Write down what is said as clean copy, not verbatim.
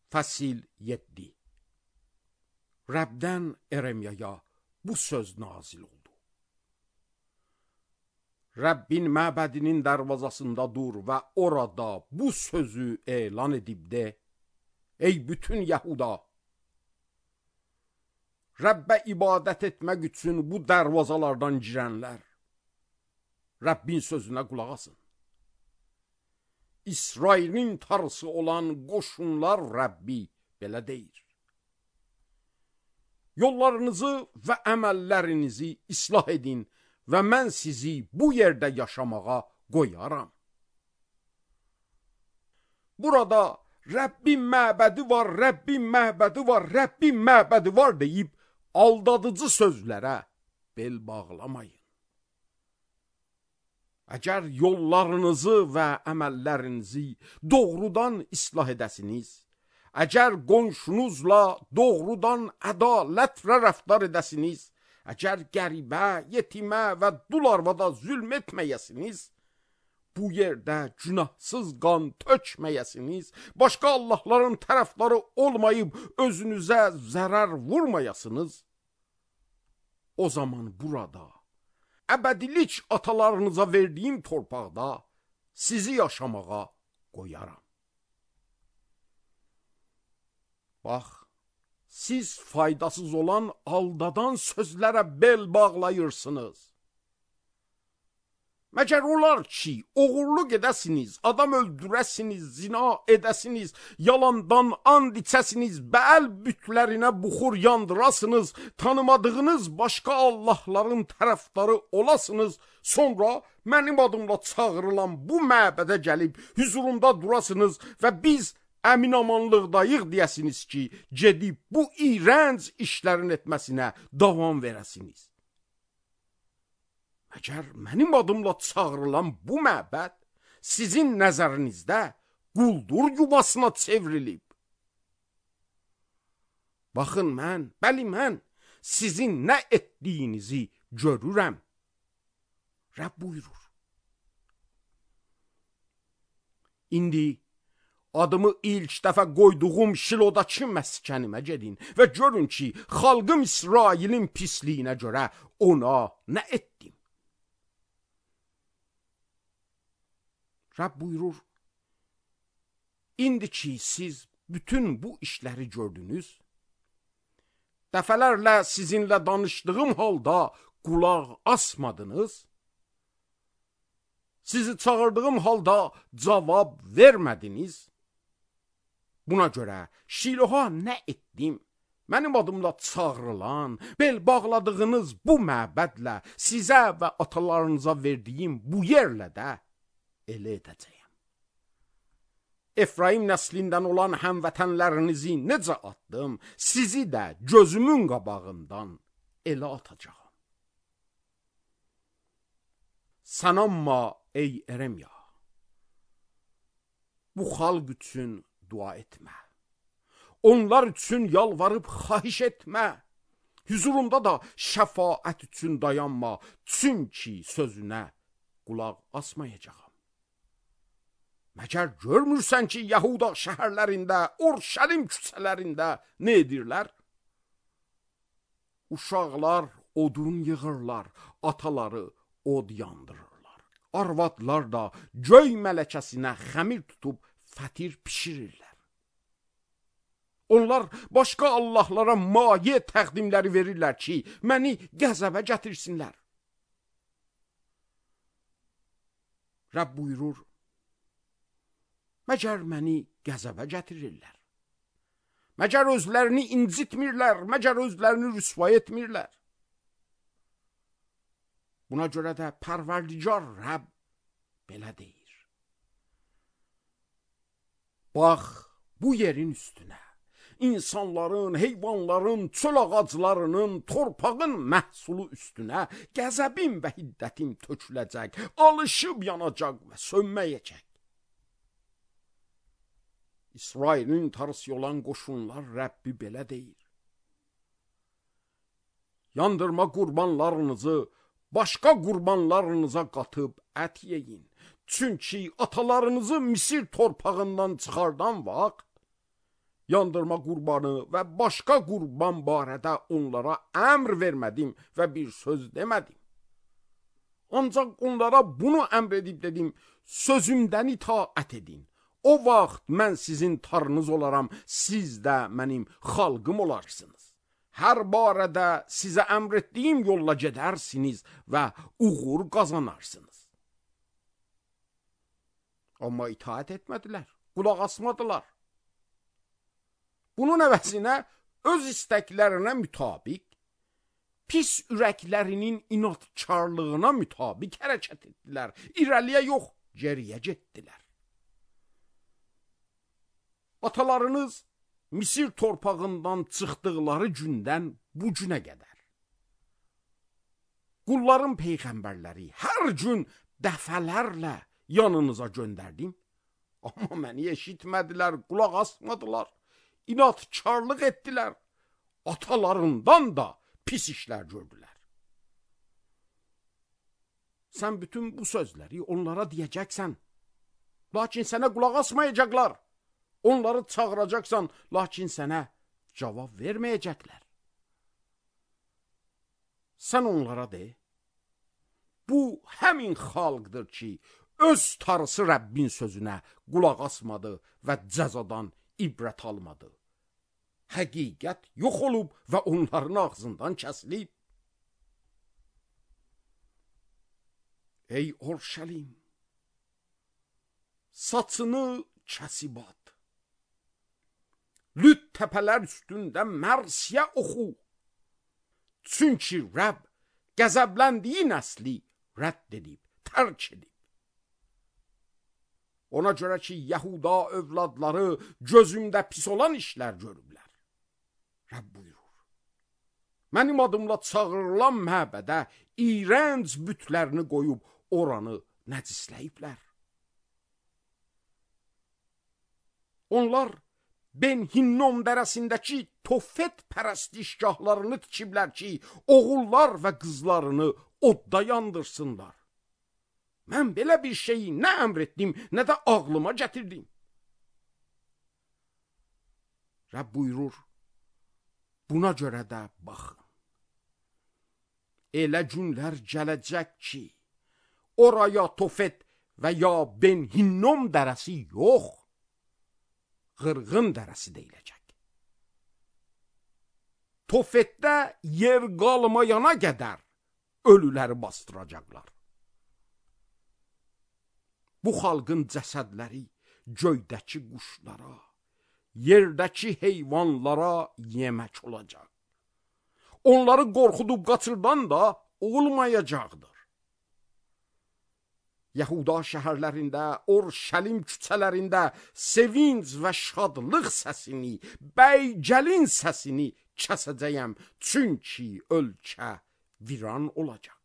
Fəsil 7. Rəbdən Eremiyaya bu söz nazil oldu. Rəbbin məbədinin dərvazasında dur və orada bu sözü elan edib de: Ey bütün Yahuda! Rəbbə ibadət etmək üçün bu dərvazalardan girənlər, Rəbbin sözünə qulaq asın. İsrailin tarısı olan qoşunlar Rəbbi belə deyir: Yollarınızı və əməllərinizi islah edin və mən sizi bu yerdə yaşamağa qoyaram. Burada Rəbbin məbədi var, Rəbbin məbədi var, Rəbbin məbədi var deyib aldadıcı sözlərə bel bağlamayın. Əgər yollarınızı və əməllərinizi doğrudan islah edəsiniz, əgər qonşunuzla doğrudan ədalətlə rəftar edəsiniz, əgər qəribə, yetimə və dul arvada zülm etməyəsiniz, bu yerdə günahsız qan tökməyəsiniz, başqa Allahların tərəfdarı olmayıb özünüzə zərər vurmayasınız, o zaman burada əbədilik atalarınıza verdiyim torpaqda sizi yaşamağa qoyaram. Bax, siz faydasız olan aldadan sözlərə bel bağlayırsınız. Məgər olar ki, oğurluq edəsiniz, adam öldürəsiniz, zina edəsiniz, yalandan and içəsiniz, bəl bütlərinə buxur yandırasınız, tanımadığınız başqa Allahların tərəfdarı olasınız, sonra mənim adımla çağırılan bu məbədə gəlib hüzurumda durasınız və biz əminamanlıqdayıq deyəsiniz ki, gedib bu iğrənc işlərin etməsinə davam verəsiniz. Əgər mənim adımla çağırılan bu məbəd sizin nəzərinizdə quldur yuvasına çevrilib. Baxın mən sizin nə etdiyinizi görürəm. Rəbb buyurur. İndi adımı ilk dəfə qoyduğum Şilodakı məskənimə gedin və görün ki, xalqım İsrailin pisliyinə görə ona nə etdim. Rəbb buyurur, indi ki siz bütün bu işləri gördünüz, dəfələrlə sizinlə danışdığım halda qulaq asmadınız, sizi çağırdığım halda cavab vermədiniz, buna görə Şiloha nə etdim? Mənim adımla çağırılan, bel bağladığınız bu məbədlə sizə və atalarınıza verdiyim bu yerlə də elə edəcəyəm. Efraim nəslindən olan həmvətənlərinizi necə atdım, sizi də gözümün qabağından elə atacağım. Sən amma ey Eremiya, bu xalq üçün dua etmə. Onlar üçün yalvarıb xahiş etmə. Hüzurumda da şəfaət üçün dayanma, çünki sözünə qulaq asmayacağam. Məgər görmürsən ki, Yahuda şəhərlərində, Orşəlim küçələrində nə edirlər? Uşaqlar odun yığırlar, ataları od yandırırlar. Arvadlar da göy mələkəsinə xəmir tutub fətir pişirirlər. Onlar başqa Allahlara maye təqdimləri verirlər ki, məni qəzəbə gətirsinlər. Rəbb buyurur, məgər məni qəzəbə gətirirlər? Məgər özlərini incitmirlər, məgər özlərini rüsvay etmirlər? Buna görə də Pərverdigar Rəbb belə deyir. Bax, bu yerin üstünə, insanların, heyvanların, çöl ağaclarının, torpağın məhsulu üstünə qəzəbim və hiddətim töküləcək, alışıb yanacaq və sönməyəcək. İsrailin tarısı olan qoşunlar Rəbbi belə deyir. Yandırma qurbanlarınızı başqa qurbanlarınıza qatıb ət yeyin. Çünki atalarınızı Misir torpağından çıxardan vaxt yandırma qurbanı və başqa qurban barədə onlara əmr vermədim və bir söz demədim. Ancaq onlara bunu əmr edib dedim, sözümdən itaət edin. O vaxt mən sizin tarınız olaram, siz də mənim xalqım olarsınız. Hər barədə sizə əmr etdiyim yolla gedərsiniz və uğur qazanarsınız. Amma itaət etmədilər, qulaq asmadılar. Bunun əvəzinə öz istəklərinə mütabiq, pis ürəklərinin inatkarlığına mütabiq hərəkət etdilər. İrəliyə yox, geriyə getdilər. Atalarınız Misir torpağından çıxdıqları gündən bu günə qədər qulların peyğəmbərləri hər gün dəfələrlə yanınıza göndərdim. Amma məni eşitmədilər, qulaq asmadılar, inatkarlıq etdilər. Atalarından da pis işlər gördülər. Sən bütün bu sözləri onlara deyəcəksən, lakin sənə qulaq asmayacaqlar. Onları çağıracaqsan, lakin sənə cavab verməyəcəklər. Sən onlara de, bu həmin xalqdır ki, öz tarısı Rəbbin sözünə qulaq asmadı və cəzadan ibrət almadı. Həqiqət yox olub və onların ağzından kəsilib. Ey Orşəlim, saçını kəsib at. Lüt təpələr üstündə mərsiyə oxu. Çünki Rəbb qəzəbləndiyi nəsli rədd edib, tərk edib. Ona görə ki, Yahuda övladları gözümdə pis olan işlər görüblər. Rəbb buyurur, mənim adımla çağırılan məbədə iyrənc bütlərini qoyub oranı nəcisləyiblər. Onlar Ben Hinnom dərəsindəki Tofet pərəstişgahlarını tikiblər ki, oğullar və qızlarını odda yandırsınlar. Mən belə bir şeyi nə əmr etdim, nə də ağlıma gətirdim. Rəbb buyurur, buna görə də baxın. Elə günlər gələcək ki, oraya Tofet və ya Ben Hinnom dərəsi yox, qırğın dərəsi deyiləcək. Tofetdə yer qalmayana qədər ölüləri bastıracaqlar. Bu xalqın cəsədləri göydəki quşlara, yerdəki heyvanlara yemək olacaq. Onları qorxudub qaçırdan da olmayacaqdır. Yahuda şəhərlərində, Orşəlim küçələrində sevinç və şadlıq səsini, bəy-gəlin səsini kəsəcəyəm, çünki ölkə viran olacaq.